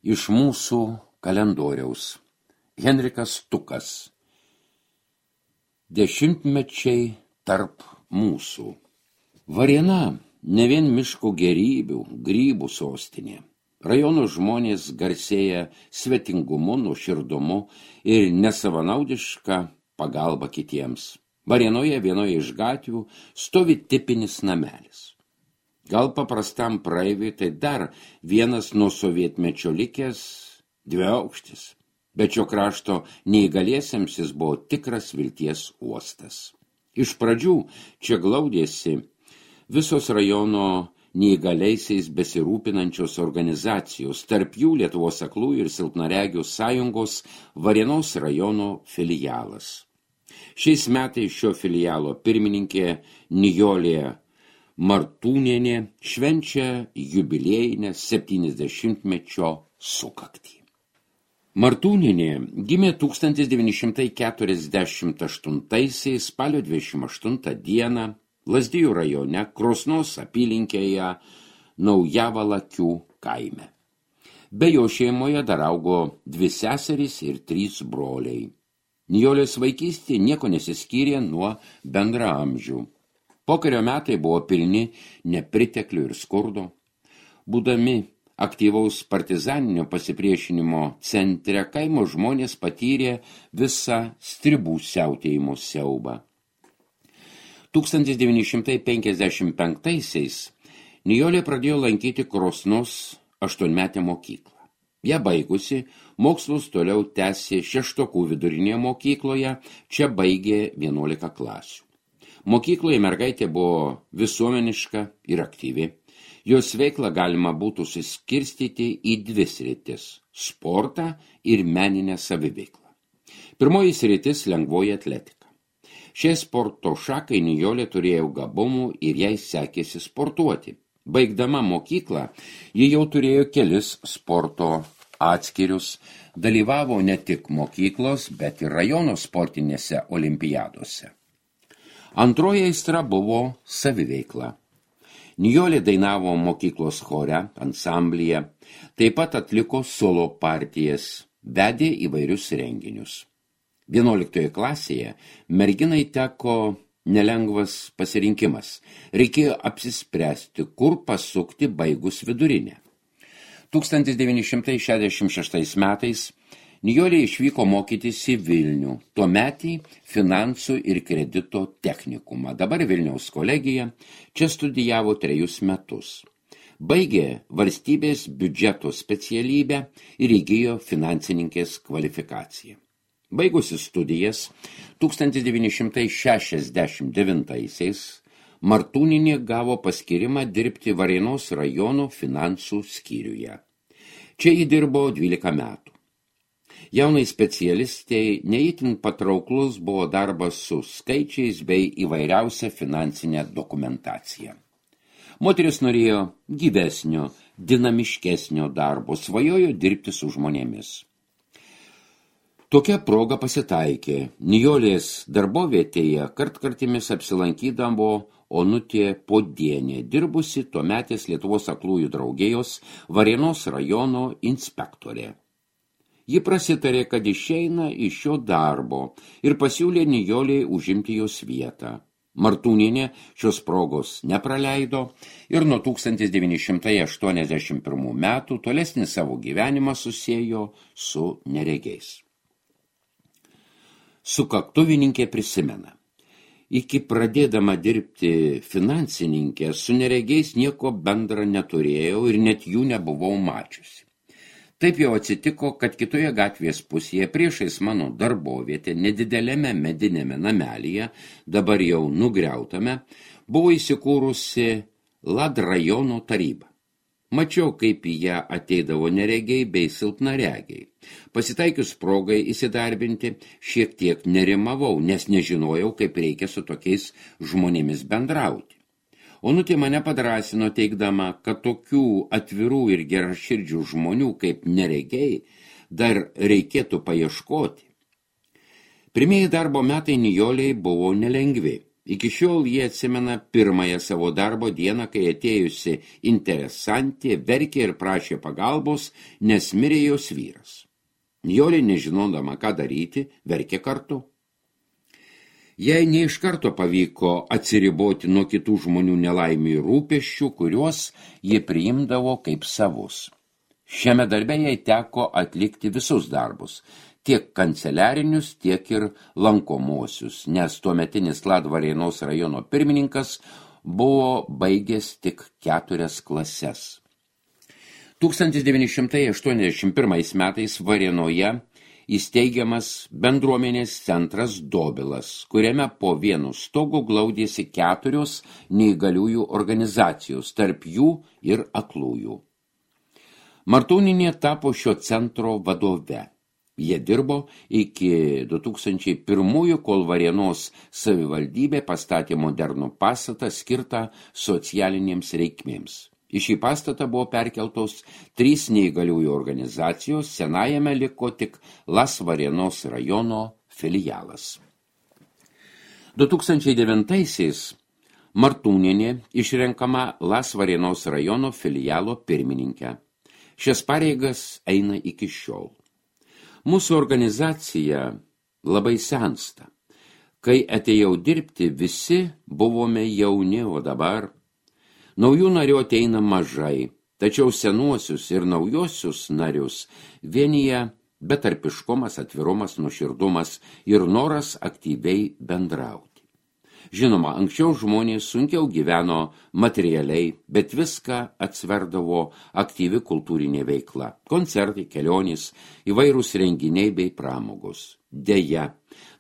Iš mūsų kalendoriaus. Henrikas Tukas. Dešimtmečiai tarp mūsų. Varėna ne vien miško gėrybių, grybų sostinė. Rajono žmonės garsėja svetingumu, nuoširdumu ir nesavanaudiška pagalba kitiems. Varėnoje vienoje iš gatvių stovi tipinis namelis. Gal paprastam praeiviui tai dar vienas nuo sovietmečio likęs dviaukštis, bet šio krašto neįgaliesiems jis buvo tikras vilties uostas. Iš pradžių čia glaudėsi visos rajono neįgaliaisiais besirūpinančios organizacijos, tarp jų Lietuvos aklųjų ir silpnaregių sąjungos Varėnos rajono filialas. Šiais metais šio filialo pirmininkė Nijolė Martūnienė švenčia jubiliejinę 70-mečio sukaktį. Martūnienė gimė 1948 spalio 28 dieną Lazdijų rajone Krosnos apylinkėje Naujavalakių kaime. Be jo šeimoje dar augo 2 seserys ir 3 broliai. Nijolės vaikystė nieko nesiskyrė nuo bendraamžių. Pokario metai buvo pilni nepriteklių ir skurdo. Būdami aktyvaus partizaninio pasipriešinimo centre, kaimo žmonės patyrė visą stribų siautėjimo siaubą. 1955-aisiais Nijolė pradėjo lankyti Krosnos 8-metę mokyklą. Ja baigusi, mokslus toliau tęsė Šeštokų vidurinėje mokykloje, čia baigė 11 klasių. Mokykloje mergaitė buvo visuomeniška ir aktyvi. Jos veiklą galima būtų suskirstyti į 2 sritis – sportą ir meninę saviveiklą. Pirmoji sritis – lengvoji atletika. Šiai sporto šakai Nijolė turėjo gabumų ir jai sekėsi sportuoti. Baigdama mokyklą, ji jau turėjo kelis sporto atskirius, dalyvavo ne tik mokyklos, bet ir rajono sportinėse olimpiadose. Antroji aistra buvo saviveikla. Nijolė dainavo mokyklos chore, ansamblyje, taip pat atliko solo partijas, vedė įvairius renginius. 11 klasėje merginai teko nelengvas pasirinkimas. Reikėjo apsispręsti, kur pasukti baigus vidurinę. 1966 metais Nijolė išvyko mokytis į Vilnių, tuometį finansų ir kredito technikumą, dabar Vilniaus kolegija, čia studijavo 3 metus. Baigė valstybės biudžeto specialybę ir įgijo finansininkės kvalifikaciją. Baigusi studijas 1969-aisiais Martūnienė gavo paskyrimą dirbti Varėnos rajono finansų skyriuje. Čia ji dirbo 12 metų. Jaunai specialistai neįtin patrauklus buvo darbas su skaičiais bei įvairiausia finansinė dokumentacija. Moteris norėjo gyvesnio, dinamiškesnio darbo, svajojo dirbti su žmonėmis. Tokia proga pasitaikė. Nijolės darbovietėje kartkartimis apsilankydavo Onutė Podienė, dirbusi tuometės Lietuvos aklųjų draugijos Varėnos rajono inspektorė. Ji prasitarė, kad išeina iš šio darbo ir pasiūlė Nijolei užimti jos vietą. Martūnienė šios progos nepraleido ir nuo 1981 metų tolesnį savo gyvenimą susiejo su neregiais. Sukaktuvininkė prisimena. Iki pradėdama dirbti finansininkė su neregiais nieko bendra neturėjau ir net jų nebuvau mačiusi. Taip jau atsitiko, kad kitoje gatvės pusėje priešais mano darbovietę, nedidelėme medinėme namelyje, dabar jau nugriautame, buvo įsikūrusi Lad rajono taryba. Mačiau, kaip į ją ateidavo neregiai bei silpnaregiai. Pasitaikius progai įsidarbinti, šiek tiek nerimavau, nes nežinojau, kaip reikia su tokiais žmonėmis bendrauti. Onutė mane padrąsino teigdama, kad tokių atvirų ir geraširdžių žmonių kaip neregiai dar reikėtų paieškoti. Pirmieji darbo metai Nijolei buvo nelengvi. Iki šiol jie atsimena pirmąją savo darbo dieną, kai atėjusi interesantė verkė ir prašė pagalbos, nes mirė jos vyras. Nijolė, nežinodama, ką daryti, verkė kartu. Jai ne iš karto pavyko atsiriboti nuo kitų žmonių nelaimių ir rūpesčių, kuriuos jie priimdavo kaip savus. Šiame darbe jai teko atlikti visus darbus, tiek kanceliarinius, tiek ir lankomosius, nes tuometinis Latvarėnos rajono pirmininkas buvo baigęs tik 4 klases. 1981 metais Varėnoje įsteigiamas bendruomenės centras Dobilas, kuriame po vienu stogu glaudėsi 4 neįgaliųjų organizacijos, tarp jų ir aklųjų. Martūnienė tapo šio centro vadove. Jie dirbo iki 2001, kol Varėnos savivaldybė pastatė modernų pastatą skirtą socialinėms reikmėms. Į šį pastatą buvo perkeltos 3 neįgaliųjų organizacijos, senajame liko tik Latvarėnos rajono filialas. 2009-aisiais Martūnienė išrenkama Latvarėnos rajono filialo pirmininkė. Šias pareigas eina iki šiol. Mūsų organizacija labai sensta. Kai atėjau dirbti, visi buvome jauni, o dabar naujų narių ateina mažai, tačiau senuosius ir naujosius narius vienyje betarpiškumas, atvirumas, nuoširdumas ir noras aktyviai bendrauti. Žinoma, anksčiau žmonės sunkiau gyveno materialiai, bet viską atsverdavo aktyvi kultūrinė veikla, koncertai, kelionės, įvairūs renginiai bei pramogos. Deja,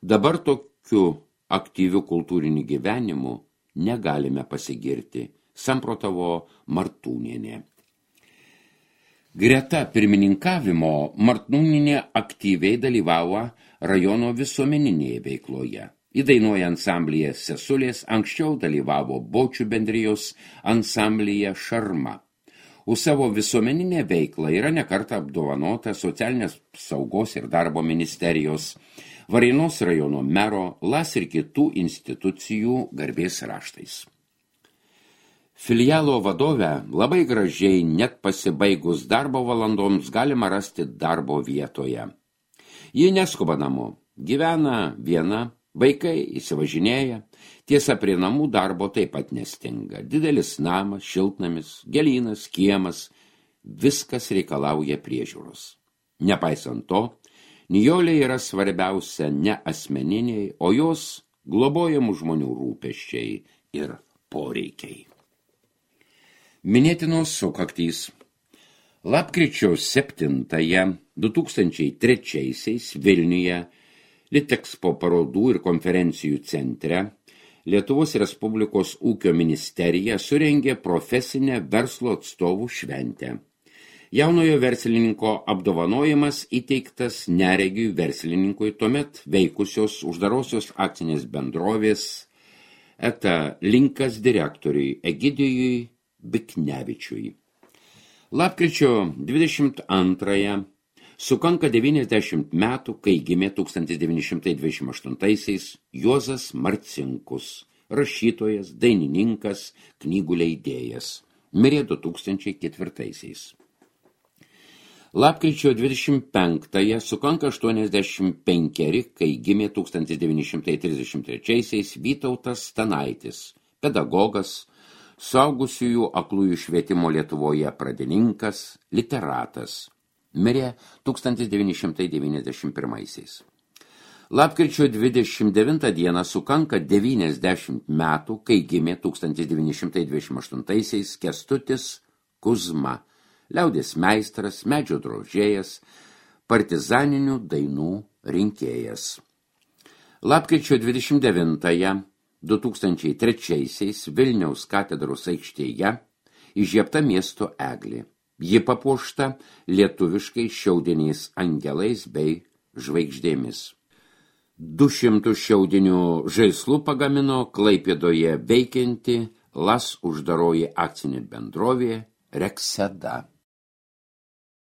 dabar tokiu aktyviu kultūriniu gyvenimu negalime pasigirti, samprotavo Martūnienė. Greta pirmininkavimo Martūnienė aktyviai dalyvavo rajono visuomeninėje veikloje. Įdainuoja ansamblyje Sesulės, anksčiau dalyvavo Bočių bendrijos ansamblyje Šarma. Už savo visuomeninę veiklą yra nekartą apdovanota Socialinės saugos ir darbo ministerijos, Varėnos rajono mero, LAS ir kitų institucijų garbės raštais. Filialo vadovę labai gražiai, net pasibaigus darbo valandoms, galima rasti darbo vietoje. Ji neskuba namo, gyvena viena, vaikai įsivažinėja, tiesa prie namų darbo taip pat nestinga. Didelis namas, šiltnamis, gėlynas, kiemas, viskas reikalauja priežiūros. Nepaisant to, Nijolė yra svarbiausia ne asmeniniai, o jos globojamų žmonių rūpesčiai ir poreikiai. Minėtinos sukaktys. Lapkričio 7-ąją 2003 Vilniuje Litexpo parodų ir konferencijų centre Lietuvos Respublikos ūkio ministerija surengė profesinę verslo atstovų šventę. Jaunojo verslininko apdovanojimas įteiktas neregiui verslininkui, tuomet veikusios uždarosios akcinės bendrovės ETA Linkas direktoriui Egidijui Biknevičiui. Lapkričio 22-ąją sukanka 90 metų, kai gimė 1928-aisiais Juozas Marcinkus, rašytojas, dainininkas, knygų leidėjas. Mirė 2004-aisiais. Lapkričio 25-ąją sukanka 85, kai gimė 1933-aisiais Vytautas Stanaitis, pedagogas, suaugusiųjų aklųjų švietimo Lietuvoje pradininkas, literatas. Mirė 1991. Lapkričio 29 dieną sukanka 90 metų, kai gimė 1928 Kęstutis Kuzma, liaudės meistras, medžio drožėjas, partizaninių dainų rinkėjas. Lapkričio 29 2003 Vilniaus katedros aikštėje įžiebta miesto eglė. Ji papuošta lietuviškai šiaudiniais angelais bei žvaigždėmis. 200 šiaudinių žaislų pagamino Klaipėdoje veikianti LAS uždaroji akcinė bendrovė Rekseda.